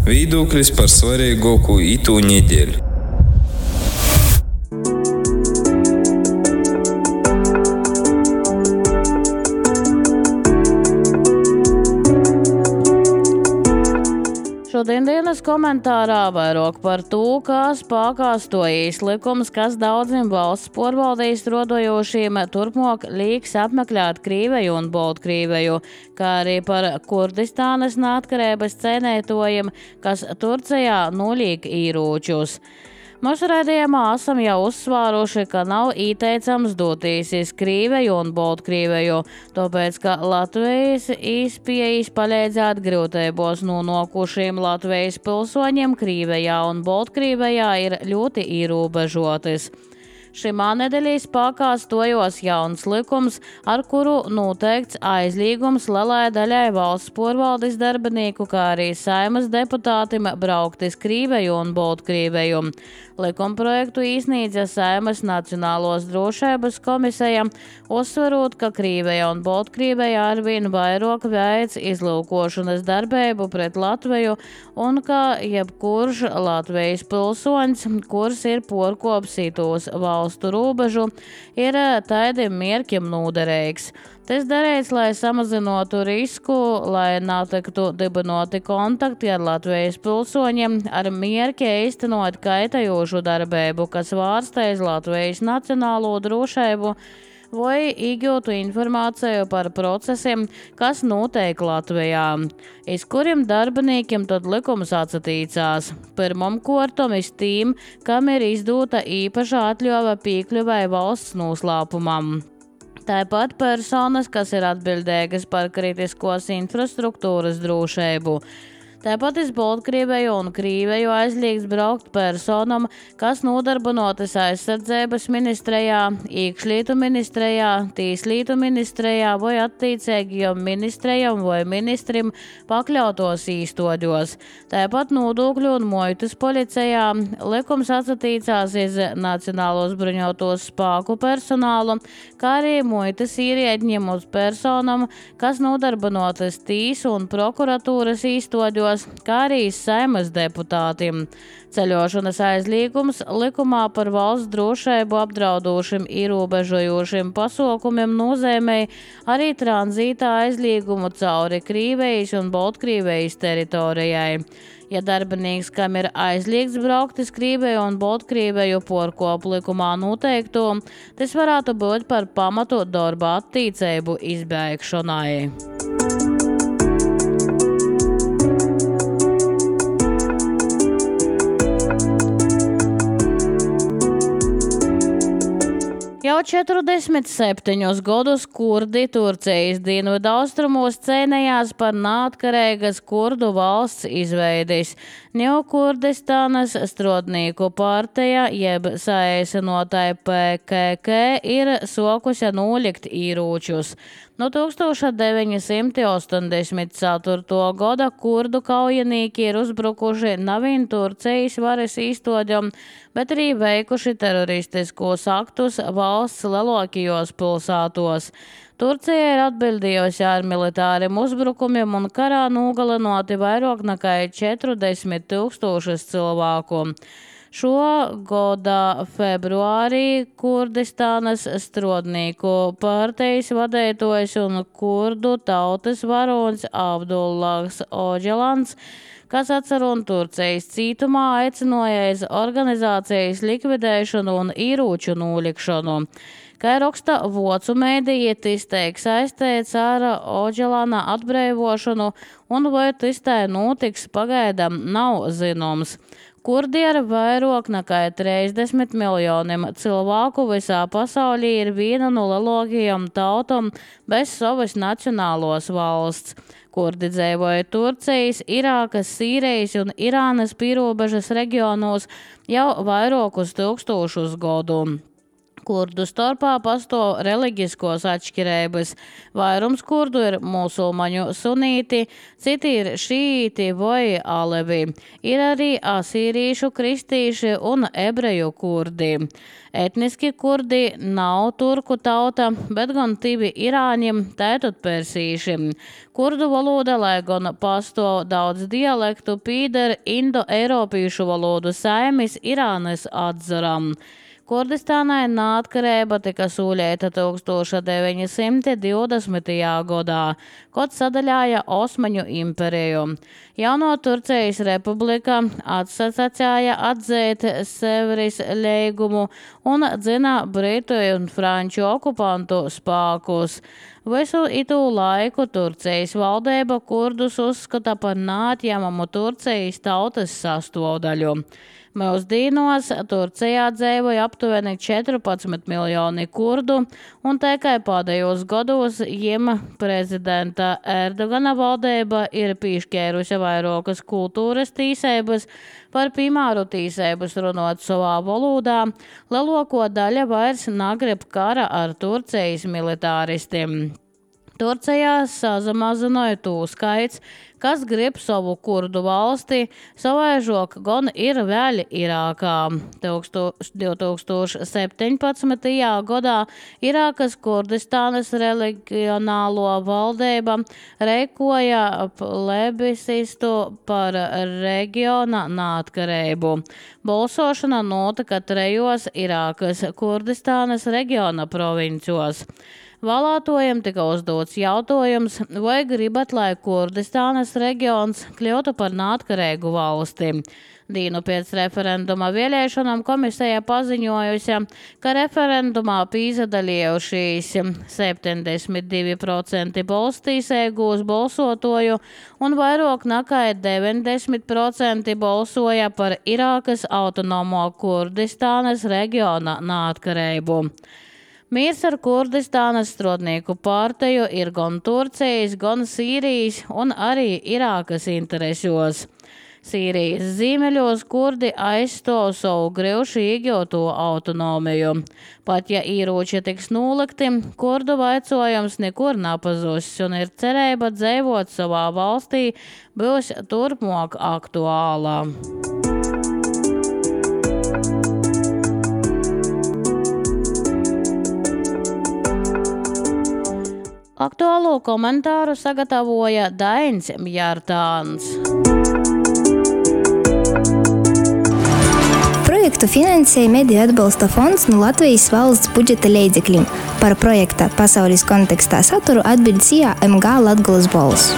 Viedoklis par svarīgāko itū nedēļu. Šodien dienas komentārā vairāk par to, kā spēkā stojīs likums, kas daudziem valsts porvaldīs rodojošiem turpmāk līks apmeklēt Krīveju un Baltkrīveju, kā arī par Kurdistānas neatkarības cienītājiem, kas Turcijā nolīk īrūčus. Mūsu raidījumā esam jau uzsvāruši, ka nav ieteicams doties uz Krīveju un Baltkrīveju, tāpēc, ka Latvijas īspējas palīdzēt grūtībos nonākušiem Latvijas pilsoņiem Krīvejā un Baltkrīvejā ir ļoti ierobežotas. Šimā nedēļā spēkā stojos jauns likums, ar kuru noteikts aizliegums lielai daļai valsts porvaldes darbinieku, kā arī Saeimas deputātim braukt uz Krīveju un Baltkrīveju. Likumprojektu iesniedza Saeimas Nacionālos drošības komisija, uzsverot, ka Krīveja un Baltkrīveja arvien vairāk veic izlūkošanas darbību pret Latviju un ka jebkurš Latvijas pilsoņs, kurs ir porkopsītos valstu robežu, ir tādiem mērķiem noderīgs. Tas darīts, lai samazinātu risku, lai netiktu dibinoti kontakti ar Latvijas pilsoņiem, ar mērķi īstenot kaitējošu darbību, kas vārstēs Latvijas nacionālo drošību, vai iegūtu informāciju par procesiem, kas notiek Latvijā, iz kuriem darbiniekiem tad likums atsatīcās. Pirmam kārtam iz tiem, kam ir izdota īpaša atļauja piekļuvai valsts noslēpumam. Tāpat personas, kas ir atbildīgas par kritiskos infrastruktūras drošību. Tāpat iz Baltkrīveju un Krīveju aizliegts braukt personam, kas nodarbinotas aizsardzības ministrijā, iekšlietu ministrijā, tieslietu ministrijā vai attiecīgajam ministrijam vai ministrim pakļautos īstoģos. Tāpat nodokļu un muitas policijā likums atsatīcās iz Nacionālos bruņotos spēku personālu, kā arī muitas ierēdņiem uz personam, kas nodarbinotas tiesu un prokuratūras īstoģos, kā arī Saeimas deputātiem. Ceļošanas aizliegums likumā par valsts drošību apdraudošiem ierobežojošiem pasākumiem nozīmē arī tranzītā aizliegumu cauri Krīvejas un Baltkrīvejas teritorijai. Ja darbinieks, kam ir aizliegts braukt uz Krīveju un Baltkrīveju porkopu likumā noteikto, tas varētu būt par pamatu darba attīcību izbeigšanai. Jau 47 gadus kurdi Turcijas dienvidaustrumos cīnījās par neatkarīgas kurdu valsts izveidis. Ņaukurdistānas strādnieku partija, jeb saīsinotai PKK, ir sokusi nolikt īrūčus. No 1984. gada kurdu kaujinieki ir uzbrukuši nevien Turcijas varas īstoģam, bet arī veikuši teroristiskos aktus valsts lielākajos pilsētos. Turcija ir atbildījusi ar militāriem uzbrukumiem un karā nogalinoti vairāk nekā 40,000 cilvēku. Šo gada februārī Kurdistānas strādnieku partijas vadītājs un kurdu tautas varonis Abdullahs Oģelans, kas atcerot Turcijas cietumā, aicināja uz organizācijas likvidēšanu un īrūču nolikšanu. Kā raksta vocu mēdīja, tas tiek saistīts ar Oģelana atbrīvošanu, un vai tas tā notiks, pagaidām nav zināms. Kurdi ar vairāk nekā 30 miljoniem cilvēku visā pasaulī ir viena no lielākajām tautām bez savas nacionālos valsts. Kurdi dzīvoja Turcijas, Irākas, Sīrijas un Irānas pierobežas reģionos jau vairākus tūkstošus gadu. Kurdu starpā pastāv reliģiskos atšķirības. Vairums kurdu ir musulmaņu sunīti, citi ir šīti vai alevi. Ir arī asīrīšu, kristīši un ebreju kurdi. Etniski kurdi nav turku tauta, bet gan tivi irāņi, tētot persīši. Kurdu valoda, lai gan pastāv daudz dialektu, pīder indo-eiropīšu valodu saimis Irānas atzaram. Kurdistānai neatkarība tika sūļēta 1920. gadā, kad sadaļāja Osmaņu imperiju. Jauno Turcijas republika atsacīja atzēt Sevres līgumu un dzina britu un franču okupantu spēkus. Visu itu laiku Turcijas valdība kurdus uzskata par neatņemamu Turcijas tautas sastāvdaļu. Mūsdienos Turcijā dzīvoja aptuveni 14 miljoni kurdu, un tikai pēdējos gados jiem prezidenta Erdogana valdība ir piešķērusi vairākas kultūras tīsības, par piemēru tīsības runot savā valodā, lielāko daļa vairs negrib kara ar Turcijas militāristiem. Turcijā samazināja tū skaits, kas grib savu kurdu valsti, savaižok gan ir vēl Irākā. 2017. gadā Irākas Kurdistānas reģionālo valdība rīkoja plebiscitu par reģiona neatkarību. Balsošana notika 3 Irākas Kurdistānas reģiona provincjos. Vēlētojiem tika uzdots jautājums, vai gribat, lai Kurdistānas reģions kļūtu par neatkarīgu valsti. Dienu pēc referenduma vēlēšanām komisija paziņojusi, ka referendumā pīzadalījušies 72% balstīsēgūs balsotoju un vairāk nekā 90% balsoja par Irākas autonomo Kurdistānas reģiona neatkarību. Miers ar Kurdistānas strādnieku partiju ir gan Turcijas, gan Sīrijas un arī Irākas interesos. Sīrijas ziemeļos kurdi aizstāv savu grūši iegūto autonomiju. Pat ja ieroči tiks nolikti, kurdu vaicojums nekur nepazūs un ir cerība dzīvot savā valstī būs turpmāk aktuālā. Aktuālo komentāru sagatavoja Dainis Mjārtāns. Projektu finansēja Mediju atbalsta fonds no Latvijas valsts budžeta līdzekļiem. Par projekta pasaules kontekstā saturu atbild CIA MG Latgoles balss.